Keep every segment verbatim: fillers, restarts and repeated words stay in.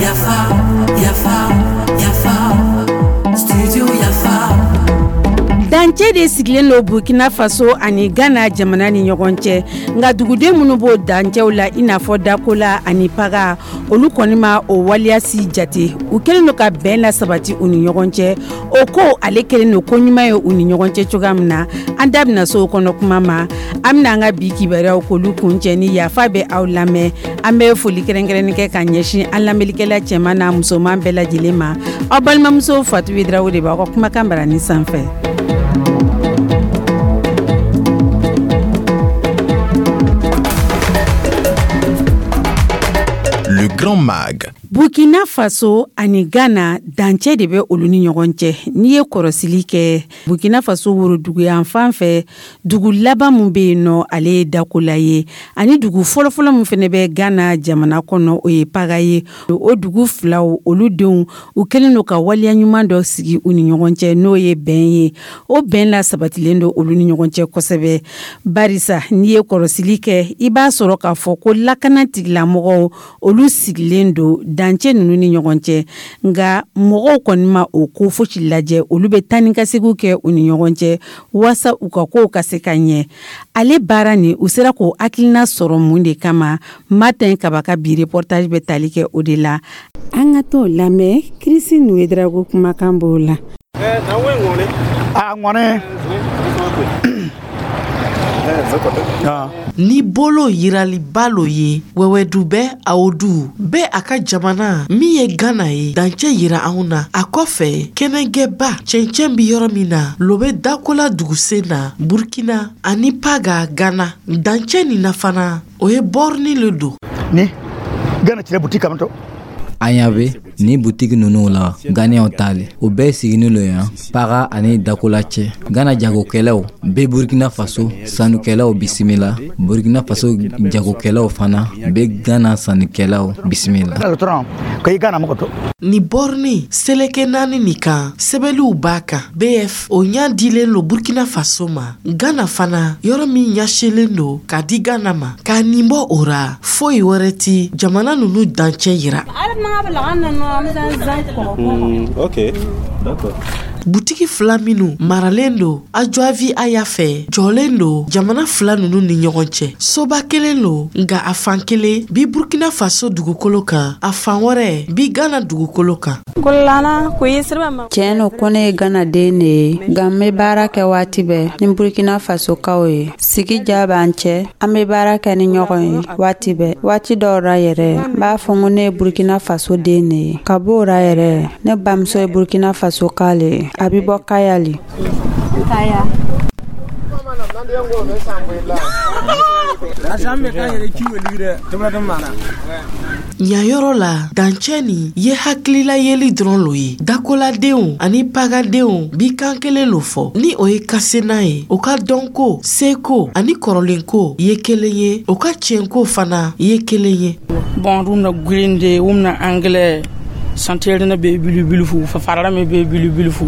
Yafa, yafa, yafa, studio Yafa. Dancɛ de sigilen don Burkina Faso ani Ghana jamana ni ɲɔgɔn cɛ, nka duguden minnu b'o dancɛw la, i n'a fɔ Dakola ani Paga, olu kɔni ma o waliyasi jate. U kɛlen don ka bɛn la sabati u ni ɲɔgɔn cɛ. O ko ale kɛlen don ko ɲuman ye u ni ɲɔgɔn cɛ cogoya min na, an da bɛna so o kɔnɔ kuma ma. An bɛna an ka bi kibaruyaw k'olu kuncɛ ni yafa bɛ aw lamɛn. An bɛ foli kɛrɛnkɛrɛnnen kɛ ka ɲɛsin an lamɛnlikɛla cɛman n'a musoman bɛɛ lajɛlen ma. Aw balimamuso Fatu Ouédraogo de b'aw ka kumakan barani sanfɛ. Le Grand Mag. Burkina Faso ani Ghana, dancɛ de bɛ olu ni ɲɔgɔn cɛ. N'i ye kɔrɔsili kɛ, Burkina Faso woroduguyan fan fɛ, dugu laban min bɛ yen nɔ, ale ye Dakola ye, ani dugu fɔlɔfɔlɔ min fana bɛ Ghana jamana kɔnɔ, o ye Paga ye. O dugu filaw, olu denw, u kɛlen don ka waleya ɲuman dɔ sigi u ni ɲɔgɔn cɛ, n'o ye bɛn ye. O bɛn la sabatilen don olu ni ɲɔgɔn cɛ kosɛbɛ, barisa n'i ye kɔrɔsili kɛ, i b'a sɔrɔ k'a fɔ ko lakana tigilamɔgɔw, olu sigilen don dancɛ ninnu ni ɲɔgɔn cɛ, nka mɔgɔw kɔni ma o ko fosi lajɛ. Olu bɛ taa ni ka seginw kɛ u ni ɲɔgɔn cɛ waasa u ka kow ka se ka ɲɛ. Ale baara nin, u sera k'o hakilina sɔrɔ mun de kama? Martin Kaba ka bi reportage bɛ tali kɛ o de la. An ka t'o lamɛn. Christine Ouédraogo kumakan b'o la. A ŋɔni. Ni bolo yiraliba lo ye wɛwɛdubɛ awodu bɛ a ka jamana min ye Gana ye dancɛ yira anw na. A kɔfɛ, kɛnɛgɛba cɛncɛn bi yɔrɔ min na lo bɛ Dakola dugusen na Burkina ani Paga Gana. Dancɛ nin na fana, o ye bɔrni le don. Ni Gana cire butiki kamto. An ɲa bɛ ni butigi ninnu la, Ghanaienw ta le. O bɛɛ siginin lo yan Paga ani Dakola cɛ. Ghana jagokɛlaw bɛ Burkina Faso sannikɛlaw bisimila, Burkina Faso jagokɛlaw fana bɛ Ghana sannikɛlaw bisimila. Ni bɔrni seleke naani nin kan, sɛbɛliw b'a kan B F, o ɲa dilen lo Burkina Faso ma. Ghana fana, yɔrɔ min ɲɛsilen don k'a di Ghana ma. K'a nin bɔ o ra, foyi wɛrɛ ti jamana nunu dancɛ yira. Mm, ok, d'accord. Butigi fila minnu maralen don Ajoavi Aya fɛ, jɔlen don jamana fila nunu ni ɲɔgɔn cɛ. Soba kelen lo, nka a fan kelen bi Burkina Faso dugukolo kan, a fan wɛrɛ bi Gana dugukolo kan. Tiɲɛ no ko ne ye Gana den de ye, nka n bɛ baara kɛ waati bɛɛ ni Burkina Fasokaw ye. Sigi ja b'an cɛ, an bɛ baara kɛ ni ɲɔgɔn ye waati bɛɛ. Waati dɔw ra yɛrɛ, n b'a fɔ ko ne ye Burkina Faso den de ye. Ka b'o ra yɛrɛ, ne bamuso ye Burkina Faso ka le ye, a bɛ bɔ Kayali. Kaya. Ɲayɔrɔ la, dancɛ nin ye hakilila yeli dɔrɔn lo ye. Dakoladenw ani pagadenw bi kan kelen lo fɔ, ni o ye kasena ye. O ka dɔnko, seko ani kɔrɔlenko ye kelen ye, o ka tiɲɛko fana ye kelen ye. Bon, rumna grinde, umna anglais santere bɛ bilibilifu farala min bɛ bilibilifu.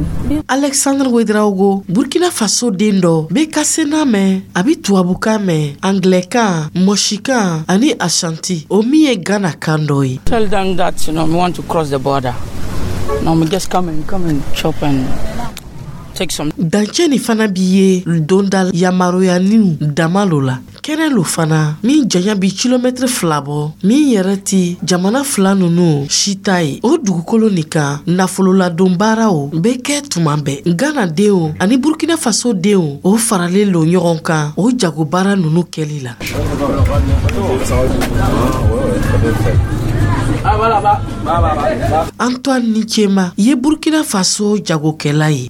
Alexandre Ouédraogo, Burkina Faso den dɔ, bɛ kasena mɛn, a bɛ tubabukan mɛn, anglɛkan, mɔsikan ani ashanti, o min ye Ghana kan dɔ ye. Tell them that you know we want to cross the border. No, we just come and come and chop and take some. Dancɛ nin fana bi ye donda yamaruyaniw dama lo la. Kɛnɛ lo fana min janya bi kilomɛtiri fila bɔ, min yɛrɛ ti jamana fila nunu si ta ye. O dugukolo nin kan, nafololadon baaraw bɛ kɛ tuma bɛɛ. Gana denw ani Burkina Faso denw, o faralen lo ɲɔgɔn kan o jagobaara nunu kɛli la. Antoine Nichema ye Burkina Faso jagokɛla ye.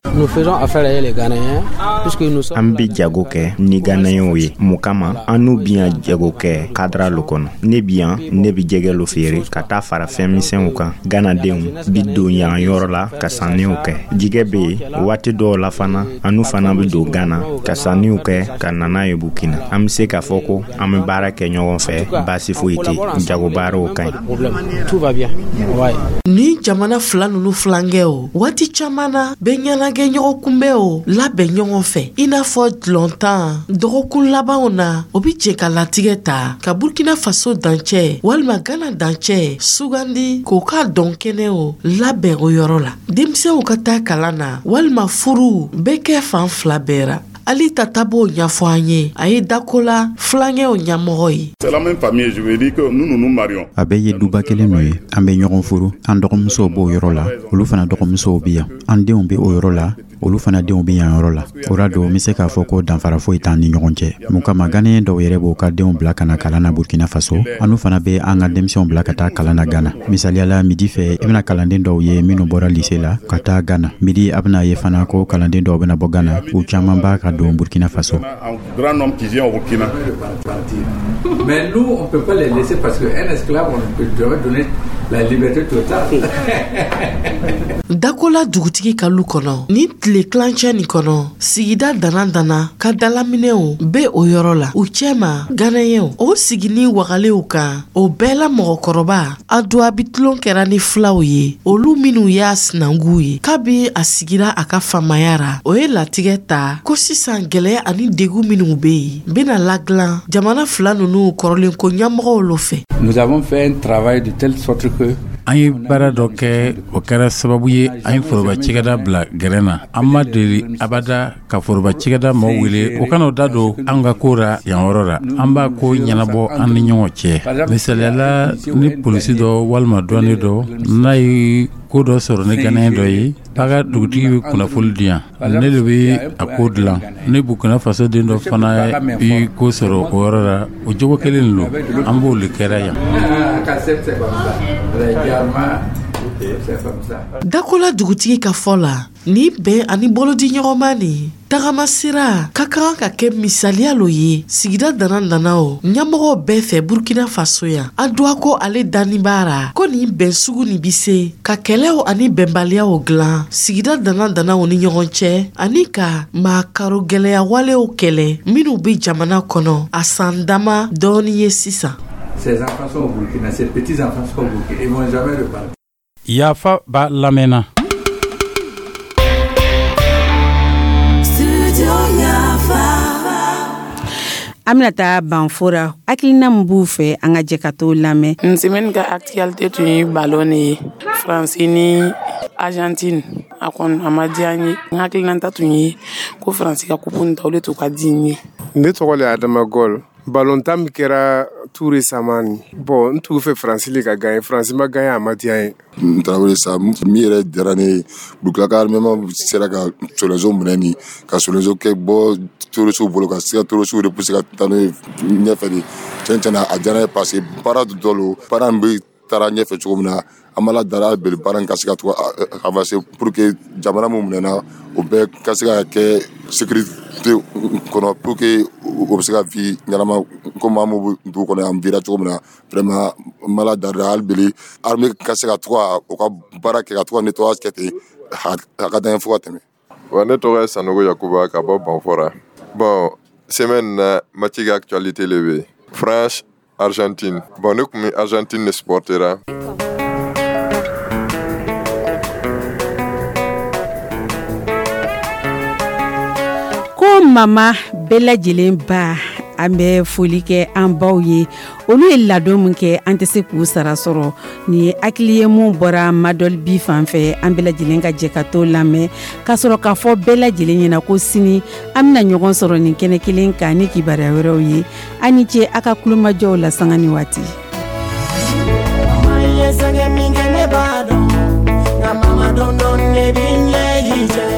An bɛ jago kɛ ni Ghanaienw ye. Mun kama an n'u bi yan jago kɛ kadara lo kɔnɔ? Ne bi yan, ne bi jɛgɛ lo feere ka taa fara fɛn misɛnw kan. Ghanadenw bi don yan yɔrɔ la ka sanniw kɛ. Jigɛ bɛ yen waati dɔw la fana, an n'u fana bɛ don Ghana ka sanniw kɛ ka na n'a ye Burkina. An bɛ se k'a fɔ ko an bɛ baara kɛ ɲɔgɔn fɛ, baasi foyi tɛ, jago baaraw ka ɲi. Tout va bien. Ouais. Ni jamana fila nunu filankɛ o waati caaman na bɛ ɲɛnagɛ ɲɔgɔn kunbɛ o labɛn ɲɔgɔn fɛ, i n'a fɔ dulɔntan dɔgɔkun labanw na, o bi jɛ ka latigɛ ta ka Burkina Faso dancɛ walima Gana dancɛ sugandi k'o k'a dɔn kɛnɛ o labɛn o yɔrɔ la. Denmisɛnw ka taa kalan na walima furu bɛ kɛ fan fila bɛɛ ra. Ali Tata b'o ɲɛfɔ an ye, a ye Dakola filankɛw ɲɛmɔgɔ ye. A bɛɛ ye duba kelen nɔ ye. An bɛ ɲɔgɔn furu, an dɔgɔmusow b'o yɔrɔ la, olu fana dɔgɔmusow bi yan, an denw bɛ o yɔrɔ la, olu fana denw bɛ yan yɔrɔ la. O ra don, n bɛ se k'a fɔ ko danfara foyi t'an ni ɲɔgɔn cɛ. Mun kama, Ganiyɛn dɔw yɛrɛ b'u ka denw bila ka na kalan na Burkina Faso, an fana bɛ an ka denmisɛnw bila ka taa kalan na Gana. Misaliyala, midi fɛ, i bɛna kalanden dɔw ye minnu bɔra lise la ka taa Gana. Midi, a bɛna ye fana ko kalanden dɔw bɛna bɔ Gana, u caman b'a ka don Burkina Faso. Mais nous, on ne peut pas les laisser parce qu'un esclave, on peut jamais donner la liberté totale. Dakola dugutigi ka lu kɔnɔ, ni tile kilancɛ nin kɔnɔ, sigida dana dana ka dalaminɛw be o yɔrɔ la, u cɛma Ganayɛw o sigini wagalenw kan. O bɛɛ la, mɔgɔkɔrɔba Aduwa bi tulon kɛra ni filaw ye, olu minw y'a sinankuw ye kabi a sigira a ka faamaya ra. O ye latigɛ ta ko sisan gwɛlɛya ani degu minw be yen bena ladilan jamana fila nunu kɔrɔlenko ɲɛmɔgɔw lo fɛ. Nous avons fait un travail de telle sorte que An ye baara dɔ kɛ, o kɛra sababu ye an ye foroba cikɛda bila gɛrɛn na. An ma deli abada ka foroba cikɛda maaw wele o kana da don an ka ko ra yan yɔrɔ la. An b'a ko ɲɛnabɔ an ni ɲɔgɔn cɛ. Misaliyala, ni polisi dɔ walima dɔnni dɔ n'a ye ko dɔ sɔrɔ ni Ganayɛn dɔ ye, Paga dugutigi bɛ kunnafoli di yan, ne de bɛ a ko dilan. Ni Burkina Faso den dɔ fana bi ko sɔrɔ o yɔrɔ la, o jogo kelen don, an b'o de kɛra yan. Dakola dugutigi ka fɔ la, nin bɛn ani bolodiɲɔgɔnma nin tagama sira ka kan ka kɛ misaliya lo ye sigida dana dana o ɲɛmɔgɔw bɛɛ fɛ Burkina Faso yan. Aduwa ko ale danni b'a ra ko nin bɛn sugu nin bi se ka kɛlɛw ani bɛnbaliyaw dilan sigida dana danaw ni ɲɔgɔn cɛ, ani ka maakaro gwɛlɛya walew kɛlɛ minw be jamana kɔnɔ a san dama dɔɔni ye sisan. Ces enfants sont au Burkina, ces petits enfants sont au Burkina, ils vont jamais repartir. Yafa b'a lamɛnna. Studio Yafa. An bɛna taa Banfora, hakilina min b'u fɛ, an ka jɛ ka t'o lamɛn. Nin semaine ka actualité tun ye ballon de ye, Faransi ni Argentine. A kɔni a ma diya n ye. N hakilinata tun ye ko Faransi ka coupe nin ta, o de tun ka di n ye. Ne tɔgɔ le Adama Gol. Balontan min kɛra tout récemment nin, bon, n tugu fɛ Faransi le ka gagner, Faransi ma gagner, a ma diya n ye. N Tarawele sa, min yɛrɛ diyara ne ye, Burukina ka armement sera ka sɔrɔdasiw minɛ nin ka sɔrɔdasiw kɛ bɔ terroristew bolo, ka se ka terroristew repousser ka taa n'o ye ɲɛfɛ de. Tiɲɛ tiɲɛ na, a diyara n ye parce que baara dɔ lo, baara in bɛ taara ɲɛfɛ cogo min na, an b'Ala dali hali bi baara in ka se ka to avancer pour que jamana min minɛna, o bɛɛ ka se ka kɛ sécurité kɔnɔ, pour que o bɛ se ka vie ɲɛnama komi an b'u dugu kɔnɔ yan vira cogo min na. Vraiment, n b'Ala dali hali bi armée ka se ka to ka u ka baara kɛ, ka to ka nettoyage kɛ ten, a ka d'an ye fo ka tɛmɛ. Wa ne tɔgɔ ye Sanogo Yakuba ka bɔ Banfora. Bon, semaine na, match ka actualité le bɛ France Argentine. Bon, ne tun bɛ Argentine de supportera. Ko mama bɛɛ lajɛlen ba, an bɛ foli kɛ an baw ye, olu ye ladon min kɛ, an tɛ se k'u sara sɔrɔ. Nin ye hakili ye mun bɔra Madɔli bi fan fɛ, an bɛɛ lajɛlen ka jɛ ka t'o lamɛn, k'a sɔrɔ k'a fɔ bɛɛ lajɛlen ɲɛna ko sini an bɛna ɲɔgɔn sɔrɔ nin kɛnɛ kelen kan ni kibaruya wɛrɛw ye. An ni ce a ka kulomajɔw la sanga ni waati. Ye sɛgɛn min kɛ, ne b'a dɔn, nka mama dɔn dɔn ne b'i ɲɛji cɛ.